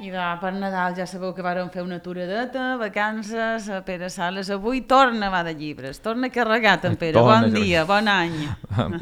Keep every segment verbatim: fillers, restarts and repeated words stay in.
I de, per Nadal ja sabeu que vàrem fer una aturadeta, vacances, a Pere Sales. Avui torna a va de llibres, torna carregat en Pere. Torna, bon dia, bon any.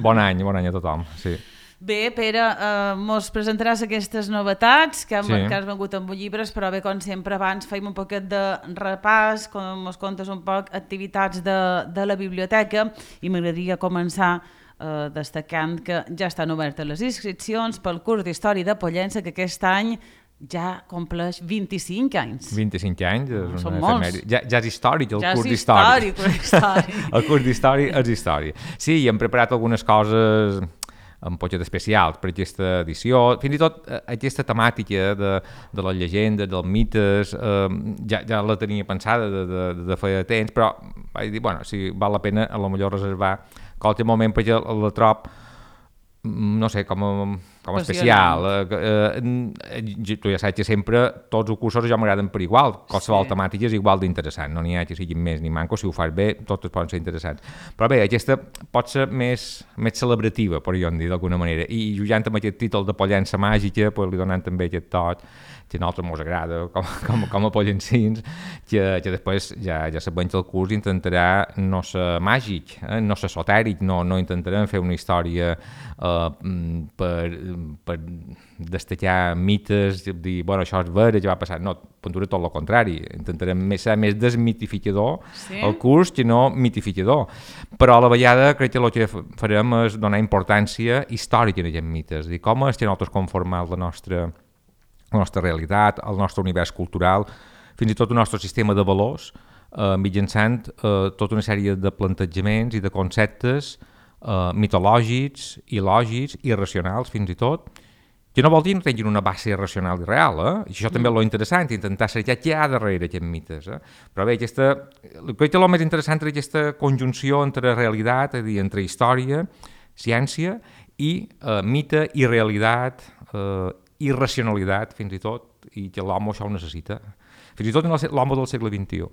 Bon any, bon any a tothom, sí. Bé, Pere, eh, mos presentaràs aquestes novetats que, han, Sí. que has vengut amb llibres, però bé, com sempre, abans feim un poquet de repàs, com mos contes un poc activitats de, de la biblioteca, i m'agradaria començar eh, destacant que ja estan obertes les inscripcions pel curs d'Història de Pollença, que aquest any ja compleix vint-i-cinc anys. vint-i-cinc anys, és Són una molts. efemèride. Ja, ja és històric el Ja curs és d'història. històric, històric. El curs d'història és història. Sí, i hem preparat algunes coses un poquet especials per aquesta edició. Fins i tot eh, aquesta temàtica de, de les llegendes, dels mites, eh, ja, ja la tenia pensada de, de, de fer temps, però vaig dir, bueno, si val la pena a lo millor reservar qualsevol moment perquè la trob, no sé, com a, com a especial. Eh, eh, tu ja saps que sempre tots els cursos ja m'agraden per igual, qualsevol sí. temàtica és igual d'interessant, no n'hi ha que siguin més ni mancos, si ho fas bé, totes poden ser interessants. Però bé, aquesta pot ser més, més celebrativa, per jo en dir d'alguna manera, i jugant amb aquest títol de Pollença màgica, pues, li donant també aquest toc que a nosaltres ens agrada, com, com, com a pollencins, que, que després ja, ja sabem que el curs intentarà no ser màgic, eh? no ser esotèric, no, no intentarem fer una història eh, per, per destacar mites, dir, bueno, això és vera, ja va passar. No, puntura tot el contrari. Intentarem més, ser més desmitificador sí? el curs que no mitificador. Però a la vegada crec que el que farem és donar importància històrica a aquests mites, dir com és que nosaltres conformem la nostra la nostra realitat, el nostre univers cultural, fins i tot el nostre sistema de valors, eh, mitjançant eh, tota una sèrie de plantejaments i de conceptes eh, mitològics, il·lògics, irracionals fins i tot, que no vol dir que no tinguin una base racional i real, eh? I això també és lo interessant, intentar cercar què hi ha darrere aquests mites. Eh? Però bé, aquesta, crec que el més interessant és aquesta conjunció entre realitat, és a dir, entre història, ciència i eh, mite i realitat, eh, irracionalitat, fins i tot, i que l'home això ho necessita. Fins i tot l'home del segle vint-i-u.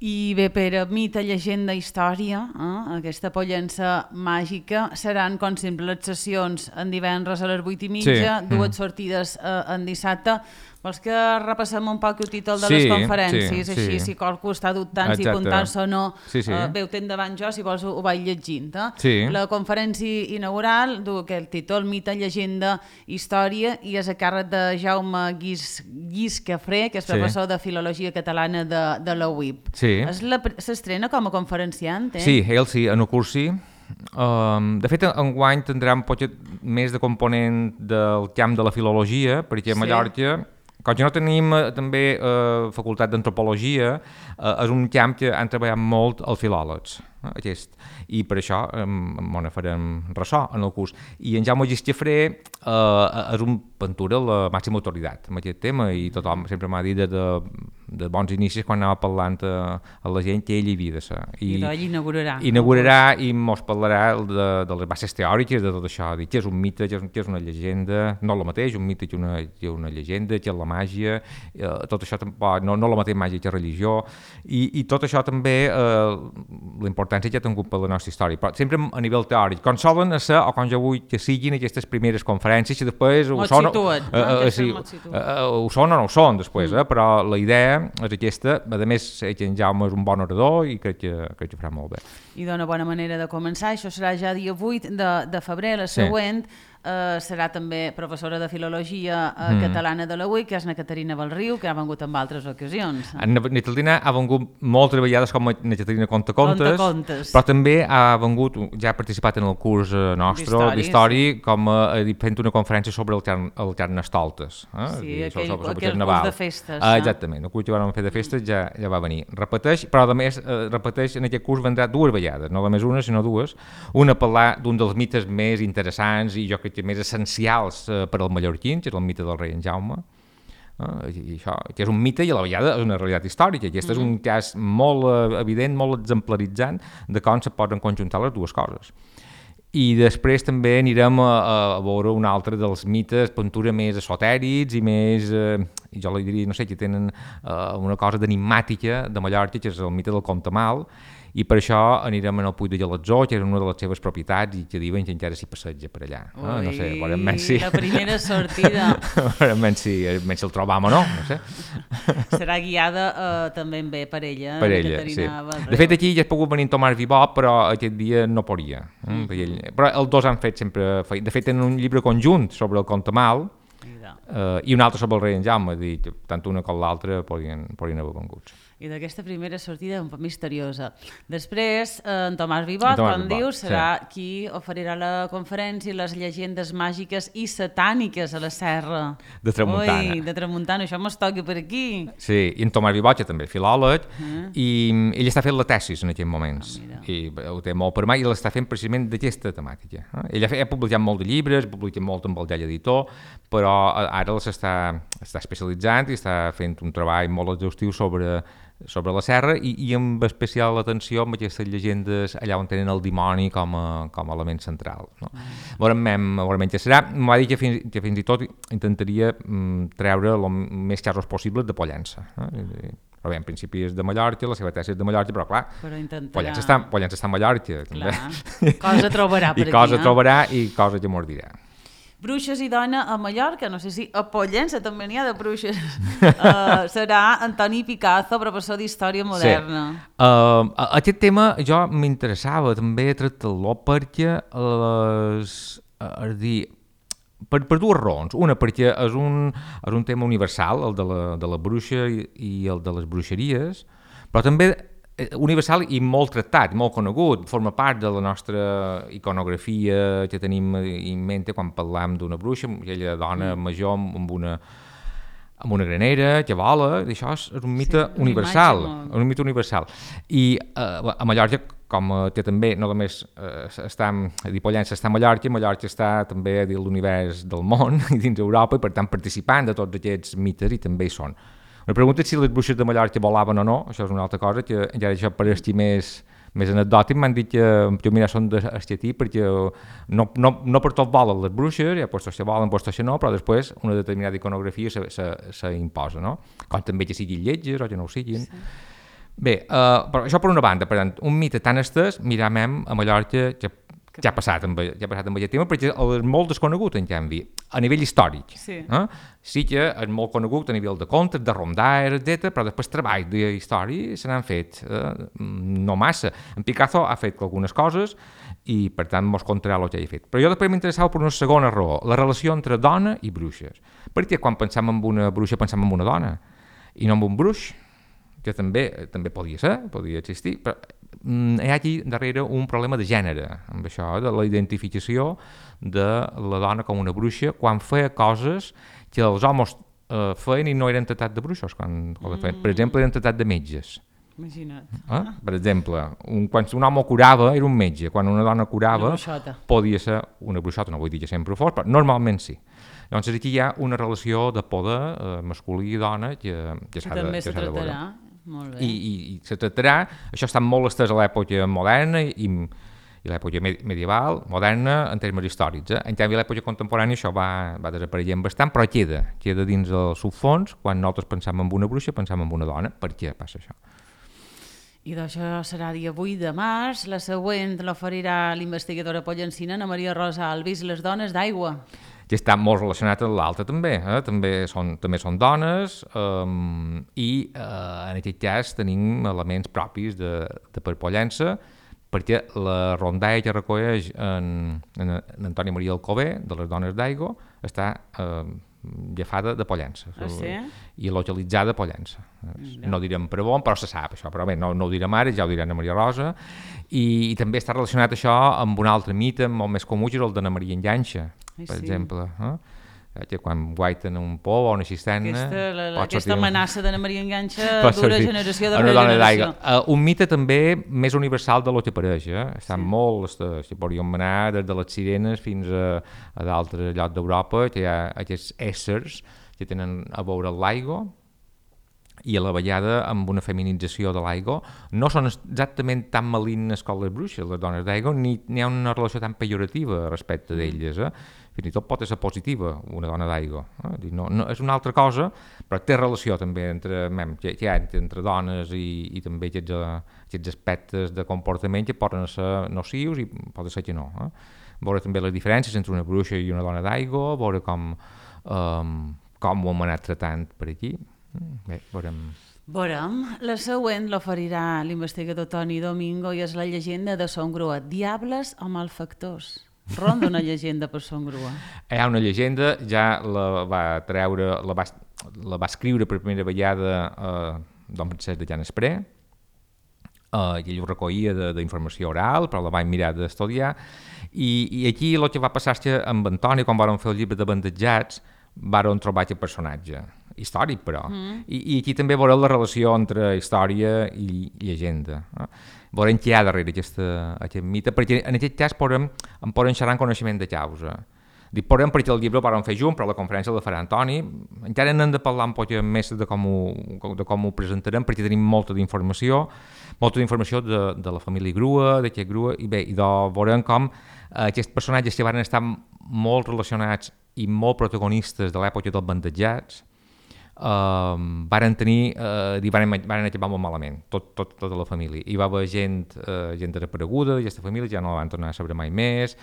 I bé, Pere, mite, llegenda, història, eh? aquesta Pollença màgica, seran, com sempre, les sessions en divendres a les vuit i mitja, sí. dues mm. sortides eh, en dissabte. Vols que repassem un poc el títol de sí, les conferències, sí, així, sí. si qualcú està dubtant Exacte. si apuntar-se o no, sí, sí. eh, bé, ho tens davant jo, si vols ho, ho vaig llegint. Eh? Sí. La conferència inaugural du el títol Mite, llegenda, història, i és a càrrec de Jaume Guis, Guis Cafré, que és professor sí. de Filologia Catalana de, de la U I P. Sí. S'estrena com a conferenciant, eh? Sí, ell sí, en el curs sí. Um, de fet, enguany tindrà un poc més de component del camp de la filologia, perquè a Mallorca, sí. com que no tenim eh, també eh, facultat d'antropologia, eh, és un camp que han treballat molt els filòlegs, eh, aquest. I per això eh, m'ho farem ressò en el curs. I en Jaume Guis Cafré eh, és un pintura la màxima autoritat en aquest tema, i tothom sempre m'ha dit de, de, de bons inicis quan anava parlant a, a la gent que ell hi havia de ser. I, I doncs inaugurarà. Inaugurarà i mos parlarà de, de les bases teòriques de tot això, dir què és un mite, què és, què és una llegenda, no el mateix, un mite que una, que una llegenda, que és la màgia, eh, tot això tampoc, no, no la mateixa màgia que religió, i, i tot això també, eh, la importància que ha tingut per la nostra història, però sempre a nivell teòric, com solen ser, o com jo vull que siguin aquestes primeres conferències, i després ho són, situat, eh, eh, sí, eh, ho són o no ho són després, eh, però la idea és aquesta, a més que en Jaume és un bon orador i crec que, crec que farà molt bé. I d'una bona manera de començar, això serà ja dia vuit de, de febrer, la següent, sí. Uh, serà també professora de Filologia uh, mm. Catalana de la U I, que és na Caterina Belriu, que ha vengut en altres ocasions. Na Caterina ha vengut moltes vegades com a na Caterina Contacontes, Contacontes, però també ha vengut, ja ha participat en el curs nostre d'història, sí. com a, fent una conferència sobre el, carn, el Carnestoltes. Eh? Sí, dir, aquell, sobre, sobre aquell curs de festes. Ah, exactament, el curs que vam fer de festes ja, ja va venir. Repeteix, però a més, eh, repeteix, en aquest curs vendrà dues vegades, no només una, sinó dues. Una a parlar d'un dels mites més interessants i jo crec que més essencials eh, per als mallorquins, que és el mite del rei en Jaume, eh, i això, que és un mite i a la vegada és una realitat històrica. Aquest mm-hmm. és un cas molt eh, evident, molt exemplaritzant de com se poden conjuntar les dues coses. I després també anirem a, a veure un altre dels mites, pintura més esotèrics i més, eh, jo li diria, no sé, que tenen eh, una cosa d'enigmàtica de Mallorca, que és el mite del Contamal, i per això anirem al Puig de Galatzó, que és una de les seves propietats, i que diuen que encara s'hi passeja per allà. Ui, eh? No sé, veurem si... la primera sortida. veurem si, si el trobam o no, no sé. Serà guiada uh, també bé per ella. Per ella, sí. Barreu. De fet, aquí ja has pogut venir en Tomàs Vivot, però aquest dia no podia. Eh? Mm -hmm. Però els dos han fet sempre... De fet, tenen un llibre conjunt sobre el Contamal, Uh, i un altre sobre el rei en Jaume, dir, tant una com l'altra podien, podien haver venguts. I d'aquesta primera sortida un poc misteriosa. Després, en Tomàs Vivot, Tomàs com Vivot, dius, serà sí. qui oferirà la conferència Les llegendes màgiques i satàniques a la serra. De Tramuntana. Ui, de Tramuntana, això mos toca per aquí. Sí, i en Tomàs Vivot, que també filòleg, uh-huh. i ell està fent la tesis en aquests moments, oh, i ho té molt per mà, i l'està fent precisament d'aquesta temàtica. Eh? Ell ha, fet, ha publicat molt de llibres, ha publicat molt amb el Gell Editor, però ara s'està està especialitzant i està fent un treball molt exhaustiu sobre sobre la serra i, i amb especial atenció amb aquestes llegendes allà on tenen el dimoni com a, com a element central. No? Mm. Veurem, veurem què serà. M'ha dit que fins, que fins i tot intentaria mm, treure el més casos possibles de Pollença. Eh? Però bé, en principi és de Mallorca, la seva tesi és de Mallorca, però clar, però intentarà... Pollença, està, Pollença està a Mallorca. Clar. Cosa trobarà per I aquí. I cosa eh? trobarà i cosa que mos dirà. Bruixes i dona a Mallorca, no sé si a Pollença també n'hi ha de bruixes. uh, serà Antoni Picazo, professor d'Història Moderna. Sí. Uh, aquest tema jo m'interessava també tractar-lo perquè les, és dir, per, per dues raons. Una, perquè és un, és un tema universal, el de la, de la bruixa i, i el de les bruixeries, però també universal i molt tractat, molt conegut, forma part de la nostra iconografia que tenim en mente quan parlam d'una bruixa, aquella dona major amb una, amb una granera que vola, això és un mite sí, universal, molt... un mite universal. I uh, a Mallorca, com que també no només uh, està, a dir, Pollença està a Mallorca, Mallorca està també a dir l'univers del món i dins d'Europa i per tant participant de tots aquests mites i també hi són. Me pregunta si les bruixes de Mallorca volaven o no, això és una altra cosa, que encara això pareixi més, més anecdòtic, m'han dit que jo mira són d'estetí perquè no, no, no per tot volen les bruixes, ja postos que volen, postos que no, però després una determinada iconografia s'imposa, no? Com també que siguin lletges o que no ho siguin. Sí. Bé, uh, però això per una banda, per tant, un mite tan estès, mirem a Mallorca que ja ha passat amb, ja ha passat amb aquest tema, perquè és molt desconegut, en canvi, a nivell històric. Sí, eh? Sí que és molt conegut a nivell de contes, de rondaires, etcètera, però després treballs d'història se n'han fet eh, no massa. En Picasso ha fet algunes coses i, per tant, mos contarà el que ha fet. Però jo després m'interessava per una segona raó, la relació entre dona i bruixes. Perquè quan pensem en una bruixa pensem en una dona i no en un bruix, que també, també podia ser, podia existir, però hi ha aquí darrere un problema de gènere, amb això, de la identificació de la dona com una bruixa quan feia coses que els homes eh, feien i no eren tractats de bruixos, quan, quan feien. Per exemple, eren tractats de metges. Imagina't. Eh? Per exemple, un, quan un home curava era un metge, quan una dona curava podia ser una bruixota, no vull dir que sempre ho fos, però normalment sí. Llavors aquí hi ha una relació de poder eh, masculí i dona que, que s'ha de, també que se tractarà. Molt bé. I, i, i se tractarà, això està molt estès a l'època moderna i, i l'època medieval, moderna en termes històrics. Eh? En canvi, a l'època contemporània això va, va desapareixent bastant, però queda, queda dins el subfons, quan nosaltres pensem en una bruixa, pensem en una dona. Per què passa això? I d'això serà dia vuit de març, la següent l'oferirà l'investigadora pollencina Ana Maria Rosa Alvis, les dones d'aigua. Que està molt relacionat amb l'altre també, eh? també, són, també són dones um, i uh, en aquest cas tenim elements propis de, de per Pollença, perquè la rondalla que recull en, en, en Antoni Maria Alcover, de les dones d'aigua, està uh, agafada de Pollença. Ah, sí? I localitzada a Pollença. No. no direm per on, però se sap això, però bé, no, no ho direm ara, ja ho dirà Ana Maria Rosa. I, i també està relacionat això amb un altre mite molt més comú, que és el d'Anna Maria Enganxa, per sí. exemple. Eh? Que quan guaiten un pou o una cisterna... Aquesta, la, la, aquesta amenaça d'Anna Maria Enganxa dura generació darrere generació. Uh, un mite també més universal de lo que apareix. Eh? Estan sí. molt... Si podríem anar des de les sirenes fins a, a d'altres llocs d'Europa, que hi ha aquests éssers que tenen a veure l'aigua i a la vegada amb una feminització de l'aigua. No són exactament tan malignes com les bruixes, les dones d'aigua, ni hi ha una relació tan pejorativa respecte d'elles. Eh? fins i tot pot ser positiva, una dona d'aigua. Eh? No, no, és una altra cosa, però té relació també entre, mem, que, que entre dones i, i també aquests, aquests aspectes de comportament que poden ser nocius i poden ser que no. Eh? Veure també les diferències entre una bruixa i una dona d'aigua, veure com, um, com ho hem anat tratant per aquí. Bé, veurem... Veurem. La següent l'oferirà l'investigador Toni Domingo i és la llegenda de Son Grua. Diables o malfactors? Ronda una llegenda per Son Grua. Hi ha una llegenda, ja la va treure, la va, la va escriure per primera vegada eh, Don Francesc de Llanespré, eh, i ell ho recollia d'informació oral, però la vaig mirar d'estudiar, i, i aquí el que va passar és que amb Antoni, quan vam fer el llibre de bandejats, vam trobar aquest personatge, històric però, mm. I, i aquí també veureu la relació entre història i llegenda. Eh? Veurem què hi ha darrere aquesta, aquest mite, perquè en aquest cas podem, en podem xerrar en coneixement de causa. Dic podem perquè el llibre el vam fer junt, però la conferència la farà Antoni. Encara n'hem de parlar un poc més de com ho, de com ho presentarem, perquè tenim molta d'informació, molta d'informació de, de la família Grua, d'aquest Grua, i bé, i de, veurem com eh, aquests personatges que van estar molt relacionats i molt protagonistes de l'època dels bandejats, Uh, varen tenir, uh, varen, varen acabar molt malament, tot, tot, tota la família. Hi va haver gent, uh, gent desapareguda d'aquesta família, ja no la van tornar a saber mai més.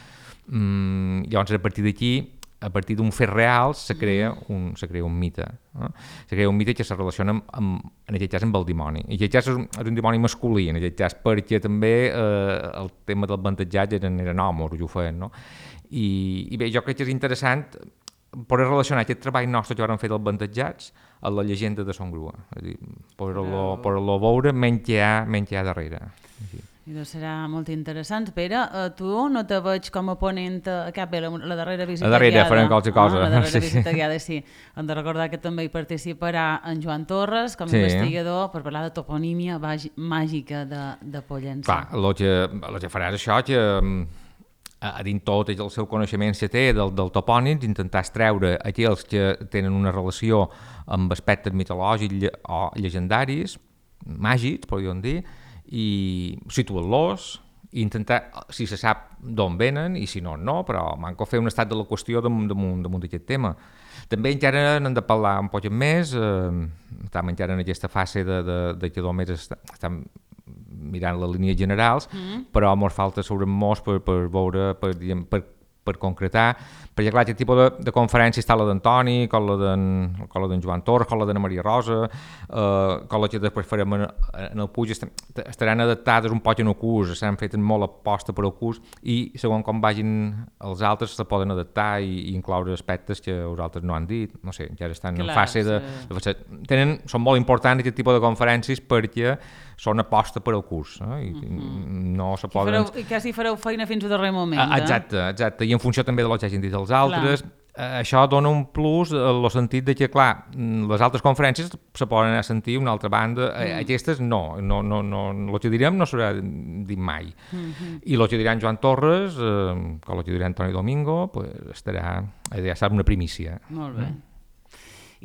Mm, llavors, a partir d'aquí, a partir d'un fet real, se crea un, se crea un mite. Eh? Se crea un mite que se relaciona amb, amb, en aquest cas amb el dimoni. I aquest cas és un, és un dimoni masculí, en aquest cas, perquè també eh, el tema del bandejat eren, eren homes, ho feien, no? I, I bé, jo crec que és interessant poder relacionar aquest treball nostre que vam fer dels bandejats a la llegenda de Son Grua. És a dir, poder-lo poder veure menys hi ha, menys hi ha darrere. Sí. I doncs serà molt interessant. Pere, uh, tu no te veig com a ponent a cap, la, la darrera visita guiada. La darrera, farem qualsevol cosa. Ah, la darrera sí. visita guiada, sí. Hem de recordar que també hi participarà en Joan Torres com a sí. investigador per parlar de toponímia màgica de, de Pollença. Clar, el que, el que faràs això, que a dins tot el seu coneixement que té del, del topònim, intentar extreure aquells que tenen una relació amb aspectes mitològics o llegendaris, màgics, podríem dir, i situar-los, i intentar, si se sap d'on venen, i si no, no, però manco fer un estat de la qüestió damunt, damunt, damunt d'aquest tema. També encara n'hem de parlar un poc més, eh, estem encara en aquesta fase de, de, de que només estem mirant les línies generals, mm. però ens falta sobre molts per, per veure, per, per, per concretar, perquè clar, aquest tipus de, de conferència està la d'Antoni, com la d'en Joan Torres, com la d'Anna Maria Rosa, eh, com la que després farem en, en el Puig, estaran adaptades un poc en el curs, s'han fet molt aposta per al curs, i segons com vagin els altres se poden adaptar i, i incloure aspectes que els altres no han dit, no sé, ja estan clar, en fase de... Sí. de tenen, són molt importants aquest tipus de conferències perquè són aposta per al curs, eh? I mm-hmm. no se poden... I, fareu, I quasi fareu feina fins al darrer moment. Eh? Exacte, exacte, i en funció també de lo que hagin dit els altres, eh, això dona un plus en el sentit de que, clar, les altres conferències se poden anar a sentir una altra banda, mm. aquestes no, no, no, no, el que direm no serà dit mai. Mm-hmm. I el que dirà en Joan Torres, eh, com el que dirà Toni Domingo, pues, estarà, ja sap, una primícia. Molt bé. Mm.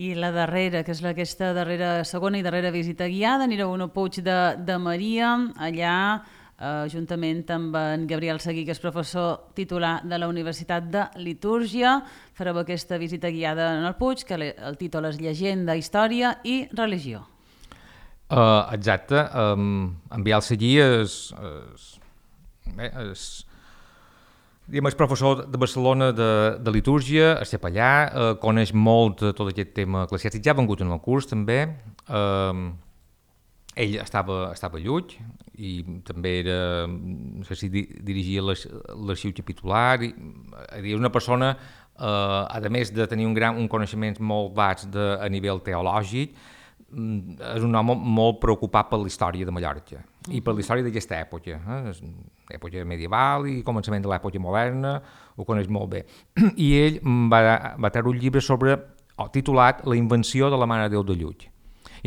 I la darrera, que és aquesta darrera, segona i darrera visita guiada, anireu a un Puig de, de Maria, allà, eh, juntament amb en Gabriel Seguí, que és professor titular de la Universitat de Litúrgia. Fareu aquesta visita guiada en el Puig, que el títol és Llegenda, Història i Religió. Uh, exacte. Um, en Biel Seguí és... és, bé, és Diguem, és professor de Barcelona de, de litúrgia, és capellà, eh, coneix molt tot aquest tema eclesiàstic, ja ha vengut en el curs també. Eh, ell estava, estava a Llull i també era, no sé si di, dirigia l'arxiu capitular. I, és una persona, eh, a més de tenir un, gran, un coneixement molt vaig de, a nivell teològic, és un home molt preocupat per la història de Mallorca uh-huh. i per la història d'aquesta època, eh? Època medieval i començament de l'època moderna, ho coneix molt bé. I ell va, va treure un llibre sobre, oh, titulat La invenció de la Mare de Déu de Llull.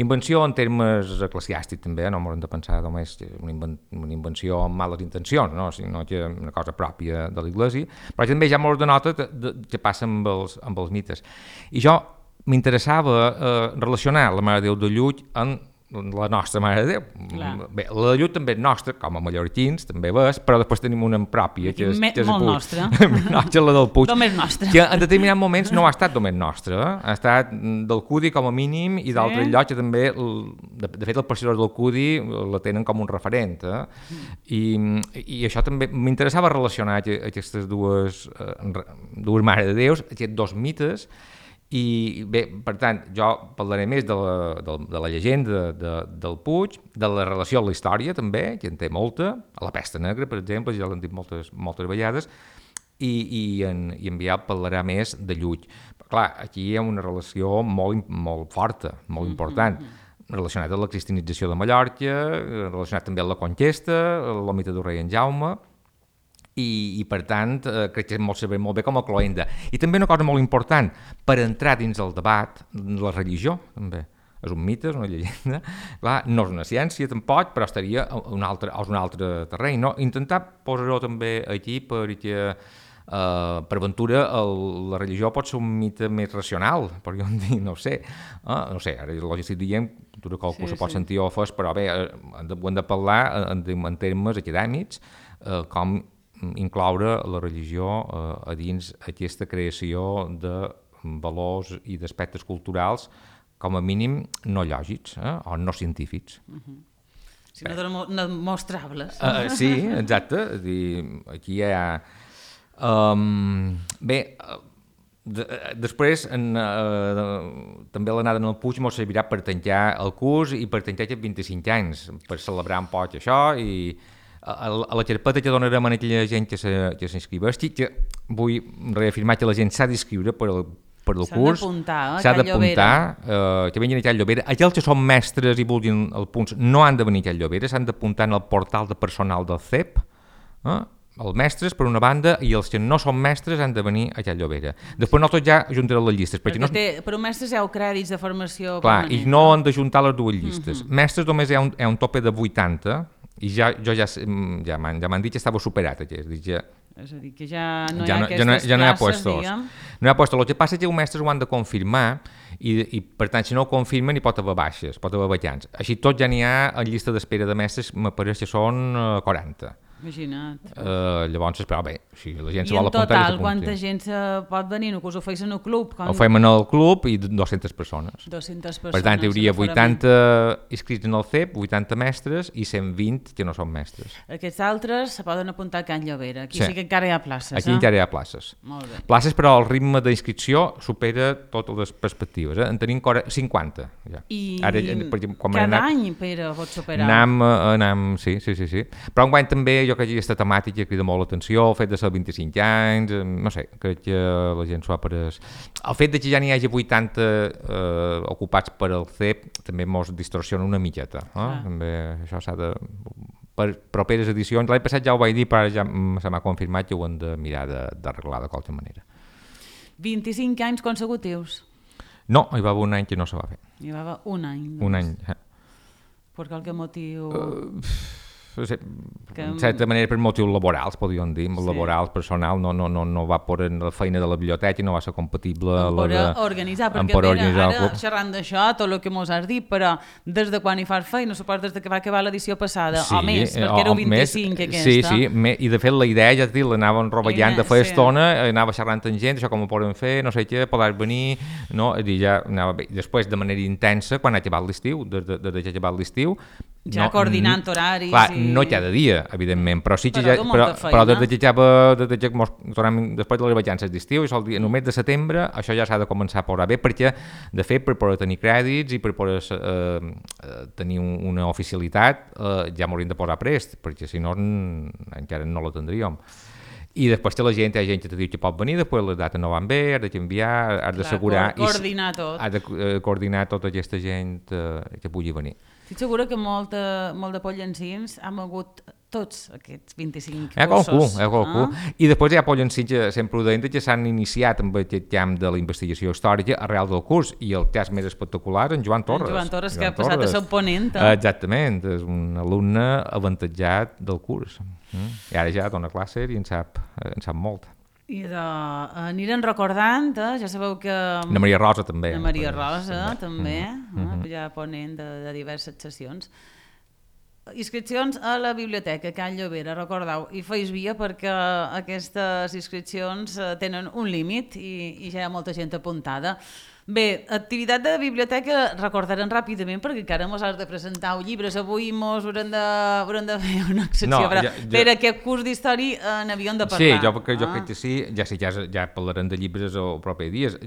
Invenció en termes eclesiàstics també, no m'ho hem de pensar només que una, inven una invenció amb males intencions, no? Sinó que una cosa pròpia de l'Església, però també ja m'ho denota que passa amb els, amb els mites. I jo m'interessava eh, relacionar la Mare de Déu de Llull amb la nostra Mare de Déu. Clar. Bé, la de Llull també és nostra, com a mallorquins, també és, però després tenim una pròpia, que és, Me, que és molt Puig. nostra. No, que és la del Puig. Només nostra. Que en determinats moments no ha estat només nostra, eh? Ha estat del Cudi com a mínim i d'altres Sí? llocs que també, de, de fet, els pescadors del Cudi la tenen com un referent. Eh? I, I això també m'interessava relacionar aquestes dues, eh, dues Mare de Déus, aquests dos mites. I bé, per tant, jo parlaré més de la, de, de la llegenda de, del Puig, de la relació amb la història també, que en té molta, a la Pesta Negra, per exemple, ja l'hem dit moltes, moltes vegades, i, i, en, i en Biel parlarà més de Llull. Però, clar, aquí hi ha una relació molt, molt forta, molt important, relacionada amb la cristianització de Mallorca, relacionat també amb la conquesta, el mite del rei en Jaume, I, i per tant eh, crec que molt saber molt bé com a cloenda. I també una cosa molt important per entrar dins el debat, la religió també és un mite, és una llegenda. Clar, no és una ciència tampoc, però estaria a un altre, a un altre terreny. No? Intentar posar-ho també aquí perquè eh, per ventura el, la religió pot ser un mite més racional, podríem dir, no ho sé. Eh, no sé, ara jo estic dient, tot qualcú sí, se pot sí. sentir ofès, però bé, hem de, hem de parlar en, en termes acadèmics, eh, com incloure la religió eh, a dins aquesta creació de valors i d'aspectes culturals com a mínim no lògics eh, o no científics. Uh-huh. Si no, no demostrables. Uh, sí, exacte. Aquí hi ha... Um, bé, de, després en, uh, també l'anada en el Puig ens servirà per tancar el curs i per tancar aquests vint-i-cinc anys, per celebrar un poc això i a la carpeta que donarem a aquella gent que s'inscriveixi, que vull reafirmar que la gent s'ha d'inscriure per al per el curs, s'ha d'apuntar, eh, que vinguin a Call Llobera. Aquells que són mestres i vulguin els punts no han de venir a Call Llobera, s'han d'apuntar en el portal de personal del C E P, eh? Els mestres per una banda i els que no són mestres han de venir a Call Llobera. Després nosaltres ja ajuntarem les llistes. Perquè no... té, per un mestre hi ha crèdits de formació Clar, permanent. I no han d'ajuntar les dues llistes. Uh-huh. Mestres només hi ha un, hi ha un tope de vuitanta i ja, jo ja, ja m'han ja dit que estava superat aquest. Ja, és a dir, que ja no ja hi ha no, aquestes ja no, ja no hi ha places, puestos. diguem. No hi ha puestos. El que passa és que els mestres ho han de confirmar i, i per tant, si no ho confirmen, hi pot haver baixes, pot haver vacants. Així tot ja n'hi ha en llista d'espera de mestres, m'apareix que són quaranta. Imagina't. Uh, llavors, però bé, si la gent I se vol apuntar... I en total, quanta gent se pot venir? No, que us ho feis en el club? Com... Ho fem en el club i dues-centes persones. dues-centes persones. Per tant, hi hauria vuitanta inscrits en el C E P, vuitanta mestres i cent vint que no són mestres. Aquests altres se poden apuntar a Can Llobera. Aquí sí, sí que encara hi ha places. Aquí eh? encara hi ha places. Molt bé. Places, però el ritme d'inscripció supera totes les perspectives. Eh? En tenim cinquanta. Ja. I Ara, per exemple, quan cada anat, any, Pere, pot superar? Anam, anam, sí, sí, sí, sí. Però enguany també jo crec que aquesta temàtica que crida molt l'atenció, el fet de ser vint-i-cinc anys, no sé, crec que la gent s'ho ha pres... El fet de que ja n'hi hagi vuitanta eh, ocupats per al C E P també mos distorsiona una miqueta. Eh? Ah. També això s'ha de... Per properes edicions, l'any passat ja ho vaig dir, però ja se m'ha confirmat que ho hem de mirar d'arreglar de, de qualsevol manera. vint-i-cinc anys consecutius? No, hi va haver un any que no se va fer. Hi va haver un any. Doncs. Un any, eh. Per qualque motiu... Uh... No sé, que... en certa manera per motius laborals, podríem dir, sí. Laborals, personal, no, no, no, no va por la feina de la biblioteca i no va ser compatible amb a la de... organitzar, perquè per mira, organitzar ara xerrant d'això, tot el que mos has dit, però des de quan hi fas feina, suposo des de que va acabar l'edició passada, sí, o més, perquè era vint-i-cinc més, aquesta. Sí, sí, me, i de fet la idea, ja et dic, l'anàvem rovellant de fer sí. estona, anava xerrant amb gent, això com ho podem fer, no sé què, podràs venir, no? I ja anava bé. Després, de manera intensa, quan ha acabat l'estiu, des de, de, de que ha acabat l'estiu, ja no, coordinant horaris clar, i... no cada dia, evidentment, però sí que però, ja, però, però des de que va, des de que mos, després de les vacances d'estiu, el, dia, el mes de setembre, això ja s'ha de començar a posar bé, perquè, de fet, per poder tenir crèdits i per poder eh, tenir una oficialitat, eh, ja m'hauríem de posar prest, perquè si no encara no la tindríem. I després que la gent, hi ha gent que te diu que pot venir, després les dates no van bé, has de canviar, has d'assegurar... coordinar tot. Has de eh, coordinar tota aquesta gent eh, que pugui venir. Estic segura que molt de, molt de pollencins hem hagut tots aquests vint-i-cinc hi ha cursos. Qualcú, hi ha qualcú. Eh? I després hi ha pollencins que sempre ho deien que s'han iniciat amb aquest camp de la investigació històrica arrel del curs, i el cas més espectacular en Joan Torres. En Joan Torres, Joan que ha passat Torres. a ser ponent. Eh? Exactament, és un alumne avantatjat del curs. Mm? I ara ja dona classe i en sap, en sap molt. I de, anirem recordant, eh? Ja sabeu que... La Maria Rosa també. La Maria Rosa també, mm -hmm. eh? ja ponent de, de diverses sessions. Inscripcions a la biblioteca Can Llobera, recordeu, i feis via perquè aquestes inscripcions tenen un límit i, i ja hi ha molta gent apuntada. Bé, activitat de biblioteca recordarem ràpidament perquè encara mos has de presentar llibres. Avui mos haurem de, haurem de fer una excepció, no, però ja, ja... per aquest curs d'història n'havíem de parlar. Sí, jo, perquè, jo ah. crec que sí, ja sé, ja, ja parlarem de llibres els propers dies.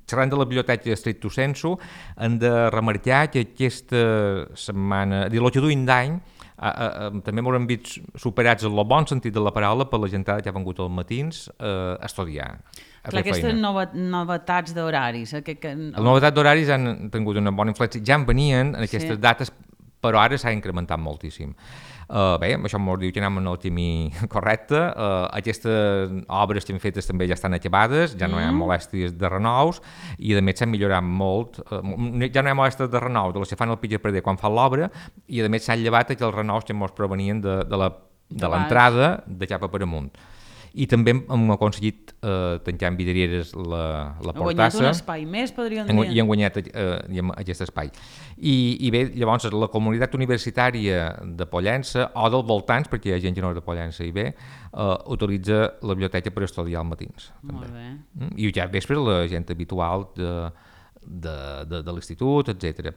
Xerrant de la biblioteca stricto sensu, hem de remarcar que aquesta setmana, dir, l'ocho d'any d'any, Uh, uh, uh, també m'haurem vist superats en el bon sentit de la paraula per la gentada que ha vengut als matins uh, a estudiar. A Clar, aquestes nova, novetats d'horaris. Eh, que, que... Les novetats d'horaris han tingut una bona influència. Ja en venien en aquestes sí. dates, però ara s'ha incrementat moltíssim. Uh, bé, això m'ho diu que anem en el camí correcte. Uh, aquestes obres que hem fetes també ja estan acabades, ja no hi ha molèsties de renous, i a més s'han millorat molt. Uh, ja no hi ha molèsties de renous de les que fan el pitjor perder quan fan l'obra, i a més s'han llevat aquells renous que ens provenien de, de l'entrada de, de cap a per amunt. I també hem aconseguit eh, tancar amb vidrieres la, la portassa. Hem guanyat un espai més, podríem dir. I hem guanyat eh, aquest espai. I, I bé, llavors, la comunitat universitària de Pollença, o dels voltants, perquè hi ha gent que no és de Pollença i bé, eh, utilitza la biblioteca per estudiar als matins. Molt també. bé. I ja vespre la gent habitual de, de, de, de l'institut, etcètera.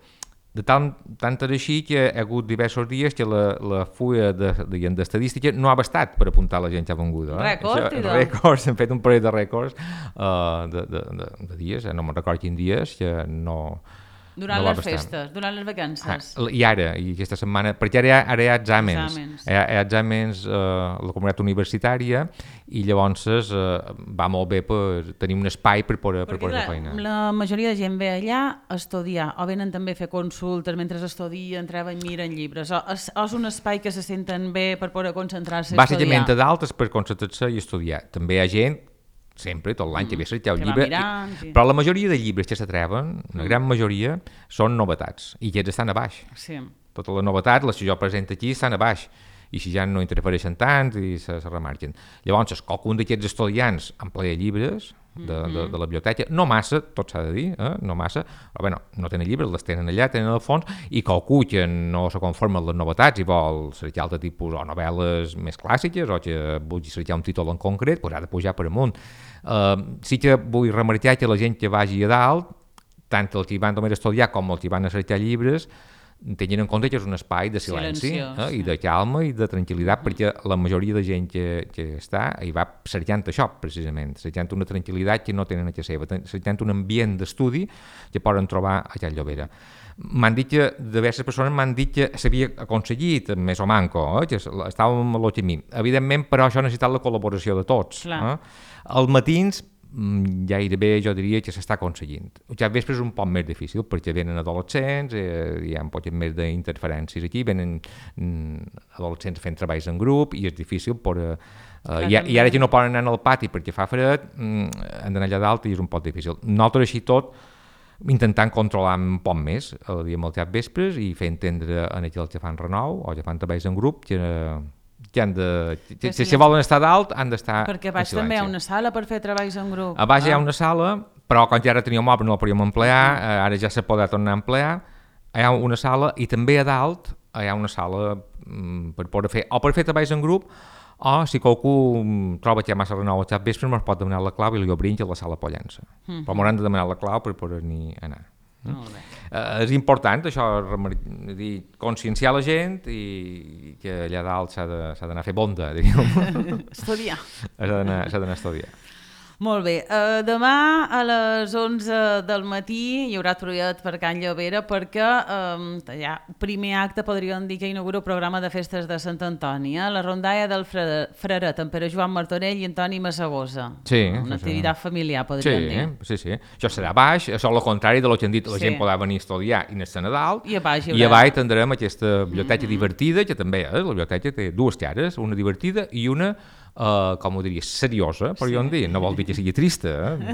De tant, tant és així que hi ha hagut diversos dies que la, la fulla d'estadística no ha bastat per apuntar la gent que ha vengut. Eh? Rècord, Això, rècords, hem fet un parell de rècords uh, de, de, de, de dies, eh? no me'n recordo quins dies, que no... Durant no les festes, durant les vacances. Ah, I ara, i aquesta setmana, perquè ara hi ha, ara hi ha exàmens, exàmens. Hi, ha, hi ha exàmens a uh, la comunitat universitària, i llavors uh, va molt bé per tenir un espai per poder, per poder fer feina. La majoria de gent ve allà a estudiar, o venen també a fer consultes mentre estudien, treballen, miren llibres, o és, o és un espai que se senten bé per poder concentrar-se a estudiar. Bàsicament a d'altres per concentrar-se i estudiar. També hi ha gent sempre, tot l'any, que ve a cercar un llibre, mirant, i, sí. però la majoria de llibres que s'atreven, una mm. gran majoria, són novetats, i aquests estan a baix. Sí. Totes les novetats, les que jo presento aquí, estan a baix, i si ja no interfereixen tant i se, se remarquen. Llavors, qualcun d'aquests estudiants emplea llibres de, de, de la biblioteca, no massa, tot s'ha de dir, eh? no massa, però bueno, no tenen llibres, les tenen allà, tenen al fons, i qualcú que no se conforma amb les novetats i vol cercar altre tipus o novel·les més clàssiques o que vulgui cercar un títol en concret, doncs ha de pujar per amunt. Uh, sí que vull remarcar que la gent que vagi a dalt, tant els que van només a estudiar com els que van a cercar llibres, tenint en compte que és un espai de silenci eh, i de calma i de tranquil·litat, uh-huh. perquè la majoria de gent que, que està hi va cercant això, precisament, cercant una tranquil·litat que no tenen a casa seva, cercant un ambient d'estudi que poden trobar a Can Llobera. M'han dit que, diverses persones m'han dit que s'havia aconseguit, més o manco, eh, que estàvem a l'o camí. Evidentment, però això ha necessitat la col·laboració de tots. Eh? Els matins, gairebé jo diria que s'està aconseguint. Ja vespre és un poc més difícil perquè venen adolescents, eh, hi ha un poc més d'interferències aquí, venen mm, adolescents fent treballs en grup i és difícil per... Eh, uh, i, I ara que no poden anar al pati perquè fa fred, mm, han d'anar allà dalt i és un poc difícil. Nosaltres així tot intentant controlar un poc més el dia amb els vespres i fer entendre a aquells que fan renou o que fan treballs en grup que... que han de, que, si, si volen estar dalt han d'estar en silenci. Perquè a baix també hi ha una sala per fer treballs en grup. A baix ah. hi ha una sala, però quan ja ara teníem obra no la podíem emplear, mm. ara ja se podrà tornar a emplear, hi ha una sala i també a dalt hi ha una sala mm, per poder fer, o per fer treballs en grup, o si qualcú troba que hi ha massa renou al xat vespre, ens pot demanar la clau i li obrim a la sala Pollença. Mm-hmm. Però m'hauran de demanar la clau per poder-n'hi anar. Molt bé. Uh, és important això, dir, conscienciar la gent i que allà dalt s'ha d'anar a fer bonda, diríem. Estudiar. S'ha d'anar a estudiar. Molt bé, uh, demà a les onze del matí hi haurà trullet per Can Llobera perquè um, ja, primer acte podríem dir que inaugura el programa de festes de Sant Antoni, eh? La rondalla del Freret amb Pere Joan Martorell i Antoni Massagosa. Sí, una sí, activitat sí. familiar, podríem sí, dir. Sí, sí. Això serà baix, això és el contrari de lo que han dit, la sí. gent podrà venir a estudiar i anar a dalt, i a baix, i a baix tindrem aquesta biblioteca mm-hmm. divertida, que també és, la biblioteca té dues cares, una divertida i una Uh, com ho diria, seriosa, podríem sí. dir, no vol dir que sigui trista, eh?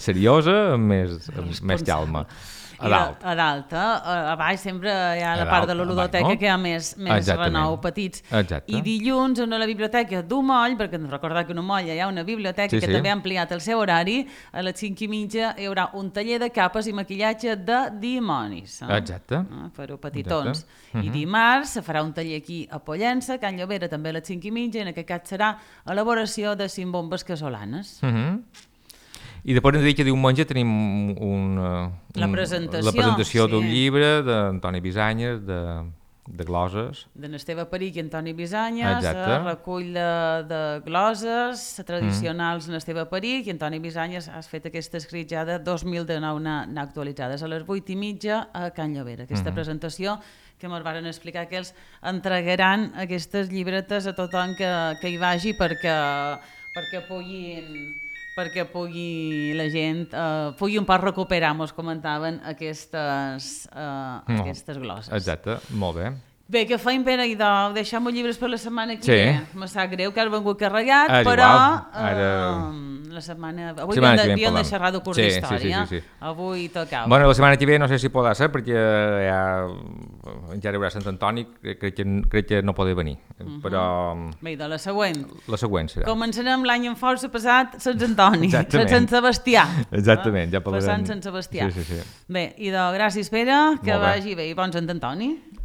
seriosa, amb més, amb més calma. a dalt. A dalt, a, a baix sempre hi ha la part de la ludoteca no? que hi ha més, més renou petits. Exacte. I dilluns a la biblioteca d'Umoll, perquè recordar que a Umoll hi ha una biblioteca sí, que sí. també ha ampliat el seu horari, a les cinc i mitja hi haurà un taller de capes i maquillatge de dimonis. Eh? Exacte. Eh? Per petitons. Exacte. I dimarts se farà un taller aquí a Pollença, Can Llobera també a les cinc i mitja, i en aquest cas serà elaboració de cinc bombes casolanes. Mhm. Uh -huh. I després ens dic que diumenge tenim un, la presentació, la presentació sí. d'un llibre d'Antoni Bisanyes, de, de gloses. D'en Esteve Peric i Antoni Bisanyes, el recull de, de gloses tradicionals mm. en Esteve Peric, i Antoni Bisanyes ha fet aquest escrit ja de dos mil dinou n'ha actualitzades a les vuit i mitja a Can Llobera. Aquesta mm. presentació que ens van explicar que els entregaran aquestes llibretes a tothom que, que hi vagi perquè, perquè puguin... perquè pugui la gent uh, pugui un poc recuperar, mos comentaven, aquestes, uh, no. aquestes gloses. Exacte, molt bé. Bé, què feim, Pere? I de deixem els llibres per la setmana que sí. ve. Me sap greu que has vengut carregat, ah, però Ara... uh, la setmana... Avui setmana havíem de xerrar de curs sí, d'història. Sí, sí, sí, sí. Avui tocava. Bueno, la setmana que ve no sé si podrà ser, perquè ja, ja hi haurà Sant Antoni, crec que, crec que no podrà venir. Uh -huh. Però... Bé, de la següent. La següent serà. Començarem l'any en força passat Sant Antoni, Sant Sebastià. Exactament, ja parlarem. Passant Sant Sebastià. Sí, sí, sí. Bé, i de gràcies, Pere, que vagi bé i bon Sant Antoni.